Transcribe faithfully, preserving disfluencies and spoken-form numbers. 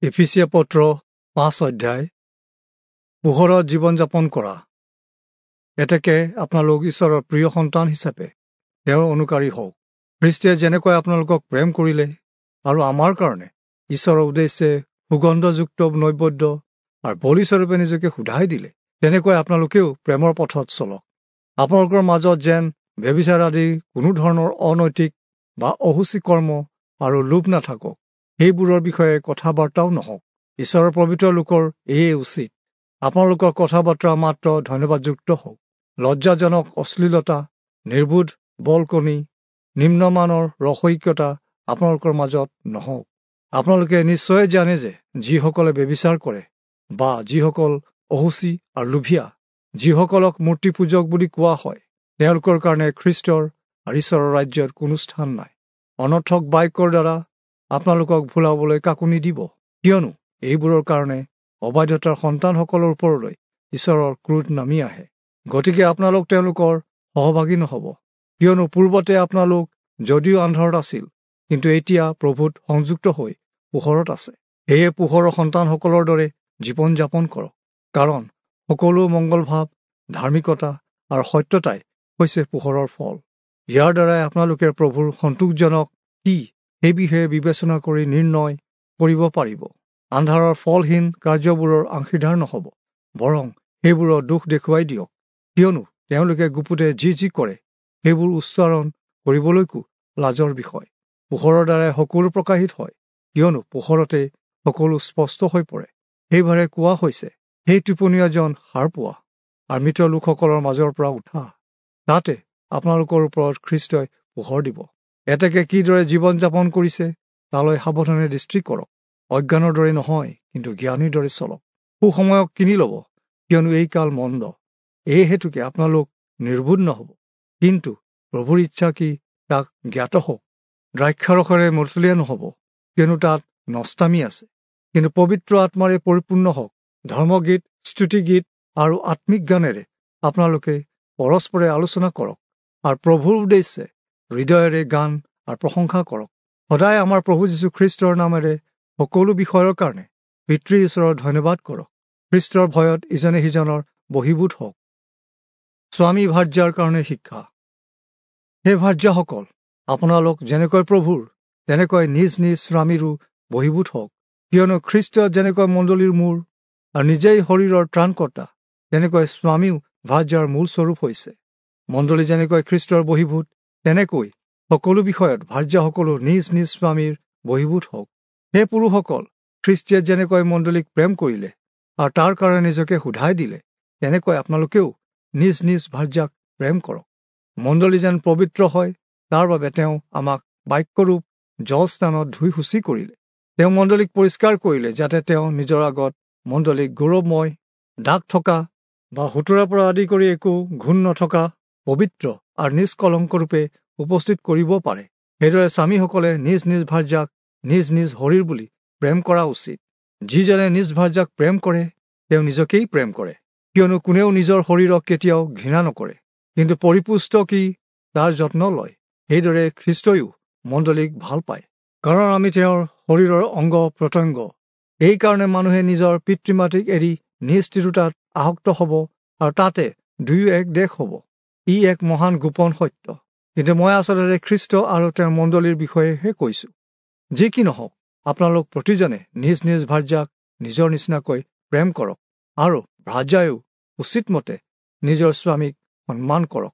এফিচীয়া পত্ৰ পাঁচ অধ্যায়। পোহৰত জীৱন যাপন কৰা। এতেকে আপোনালোক ঈশ্বৰৰ প্ৰিয় সন্তান হিচাপে তেওঁৰ অনুকাৰী হওক। খ্ৰীষ্টে যেনেকৈ আপোনালোকক প্ৰেম কৰিলে আৰু আমাৰ কাৰণে ঈশ্বৰৰ উদ্দেশ্যে সুগন্ধযুক্ত নৈবেদ্য আৰু বলিস্বৰূপে নিজকে সোধাই দিলে, তেনেকৈ আপোনালোকেও প্ৰেমৰ পথত চলক। আপোনালোকৰ মাজত যেন ব্যভিচাৰ আদি কোনো ধৰণৰ অনৈতিক বা অসুচী কৰ্ম আৰু লোভ নাথাকক, সেইবোৰৰ বিষয়ে কথা বাৰ্তাও নহওক। ঈশ্বৰৰ পবিত্ৰ লোকৰ এয়ে উচিত। আপোনালোকৰ কথা বাৰ্তা মাত্ৰ ধন্যবাদযুক্ত হওক। লজ্জাজনক অশ্লীলতা, নিৰ্বোধ বলকনি, নিম্নমানৰ ৰসৈক্যতা আপোনালোকৰ মাজত নহওক। আপোনালোকে নিশ্চয় জানে যে যিসকলে ব্যভিচাৰ কৰে বা যিসকল অসুচী আৰু লোভীয়া, যিসকলক মূৰ্তি পূজক বুলি কোৱা হয়, তেওঁলোকৰ কাৰণে খ্ৰীষ্টৰ আৰু ঈশ্বৰৰ ৰাজ্যত কোনো স্থান নাই। অনৰ্থক বাক্যৰ দ্বাৰা আপোনালোকক ভুলাবলৈ কাকো নিদিব, কিয়নো এইবোৰৰ কাৰণে অবাধ্যতাৰ সন্তানসকলৰ ওপৰলৈ ঈশ্বৰৰ ক্ৰোধ নামি আহে। গতিকে আপোনালোক তেওঁলোকৰ সহভাগী নহ'ব, কিয়নো পূৰ্বতে আপোনালোক যদিও আন্ধাৰত আছিল, কিন্তু এতিয়া প্ৰভুত সংযুক্ত হৈ পোহৰত আছে। সেয়ে পোহৰৰ সন্তানসকলৰ দৰে জীৱন যাপন কৰক, কাৰণ সকলো মংগলভাৱ, ধাৰ্মিকতা আৰু সত্যতাই হৈছে পোহৰৰ ফল। ইয়াৰ দ্বাৰাই আপোনালোকে প্ৰভুৰ সন্তোষজনক কি সেই বিষয়ে বিবেচনা কৰি নিৰ্ণয় কৰিব পাৰিব। আন্ধাৰৰ ফলহীন কাৰ্যবোৰৰ অংশীদাৰ নহ'ব, বৰং সেইবোৰৰ দোষ দেখুৱাই দিয়ক, কিয়নো তেওঁলোকে গুপুতে যি যি কৰে সেইবোৰ উচ্চাৰণ কৰিবলৈকো লাজৰ বিষয়। পোহৰৰ দ্বাৰাই সকলো প্ৰকাশিত হয়, কিয়নো পোহৰতে সকলো স্পষ্ট হৈ পৰে। সেইবাৰে কোৱা হৈছে, সেই টোপনীয়াজন সাৰ পোৱা আৰু মৃত লোকসকলৰ মাজৰ পৰা উঠা, তাতে আপোনালোকৰ ওপৰত খ্ৰীষ্টই পোহৰ দিব। এতেকে কিদৰে জীৱন যাপন কৰিছে তালৈ সাৱধানে দৃষ্টি কৰক। অজ্ঞানৰ দৰে নহয়, কিন্তু জ্ঞানীৰ দৰে চলক। সুসময়ক কিনি ল'ব, কিয়নো এই কাল মন্দ। এই হেতুকে আপোনালোক নিৰ্বোধ নহ'ব, কিন্তু প্ৰভুৰ ইচ্ছা কি তাক জ্ঞাত হওক। দ্ৰাক্ষাৰসেৰে মতলীয়া নহ'ব, কিয়নো তাত নষ্টামি আছে, কিন্তু পবিত্ৰ আত্মাৰে পৰিপূৰ্ণ হওক। ধৰ্মগীত, স্তুতিগীত আৰু আত্মিক গানেৰে আপোনালোকে পৰস্পৰে আলোচনা কৰক আৰু প্ৰভুৰ উদ্দেশ্যে হৃদয়েৰে গান আৰু প্ৰশংসা কৰক। সদায় আমাৰ প্ৰভু যীশুখ্ৰীষ্টৰ নামেৰে সকলো বিষয়ৰ কাৰণে পিতৃ ঈশ্বৰৰ ধন্যবাদ কৰক। খ্ৰীষ্টৰ ভয়ত ইজনে সিজনৰ বহিভূত হওক। স্বামী ভাৰ্যাৰ কাৰণে শিক্ষা। হে ভাৰ্যাসকল, আপোনালোক যেনেকৈ প্ৰভুৰ, তেনেকৈ নিজ নিজ স্বামীৰো বহিভূত হওক, কিয়নো খ্ৰীষ্ট যেনেকৈ মণ্ডলীৰ মূৰ আৰু নিজেই শৰীৰৰ ত্ৰাণকৰ্তা, তেনেকৈ স্বামীও ভাৰ্যাৰ মূল স্বৰূপ হৈছে। মণ্ডলী যেনেকৈ খ্ৰীষ্টৰ বহিভূত, তেনেকৈ সকলো বিষয়ত ভাৰ্যাসকলো নিজ নিজ স্বামীৰ বহিভূত হওক। হে পুৰুষসকল, খ্ৰীষ্টীয়ে যেনেকৈ মণ্ডলীক প্ৰেম কৰিলে আৰু তাৰ কাৰণে নিজকে সোধাই দিলে, তেনেকৈ আপোনালোকেও নিজ নিজ ভাৰ্যাক প্ৰেম কৰক। মণ্ডলী যেন পবিত্ৰ হয়, তাৰ বাবে তেওঁ আমাক বাক্যৰূপ জলস্থানত ধুই শুচি কৰিলে। তেওঁ মণ্ডলীক পৰিষ্কাৰ কৰিলে, যাতে তেওঁ নিজৰ আগত মণ্ডলীক গৌৰৱময়, দাগ থকা বা সোতৰাৰ পৰা আদি কৰি একো ঘূণ নথকা, পবিত্ৰ আৰু নিষ্কলংকৰূপে উপস্থিত কৰিব পাৰে। সেইদৰে স্বামীসকলে নিজ নিজ ভাৰ্যাক নিজ নিজ শৰীৰ বুলি প্ৰেম কৰা উচিত। যিজনে নিজ ভাৰ্যাক প্ৰেম কৰে, তেওঁ নিজকেই প্ৰেম কৰে, কিয়নো কোনেও নিজৰ শৰীৰক কেতিয়াও ঘৃণা নকৰে, কিন্তু পৰিপুষ্ট কি তাৰ যত্ন লয়। সেইদৰে খ্ৰীষ্টইও মণ্ডলীক ভাল পায়, কাৰণ আমি তেওঁৰ শৰীৰৰ অংগ প্ৰত্যংগ। এইকাৰণে মানুহে নিজৰ পিতৃ মাতৃক এৰি নিজ তিৰোতাত আসক্ত হ'ব আৰু তাতে দুয়ো এক দেশ হ'ব। ই এক মহান গোপন সত্য, কিন্তু মই আচলতে খ্ৰীষ্ট আৰু তেওঁৰ মণ্ডলীৰ বিষয়েহে কৈছোঁ। যি কি নহওক, আপোনালোক প্ৰতিজনে নিজ নিজ ভাৰ্যাক নিজৰ নিচিনাকৈ প্ৰেম কৰক আৰু ভাৰ্যায়ো উচিতমতে নিজৰ স্বামীক সন্মান কৰক।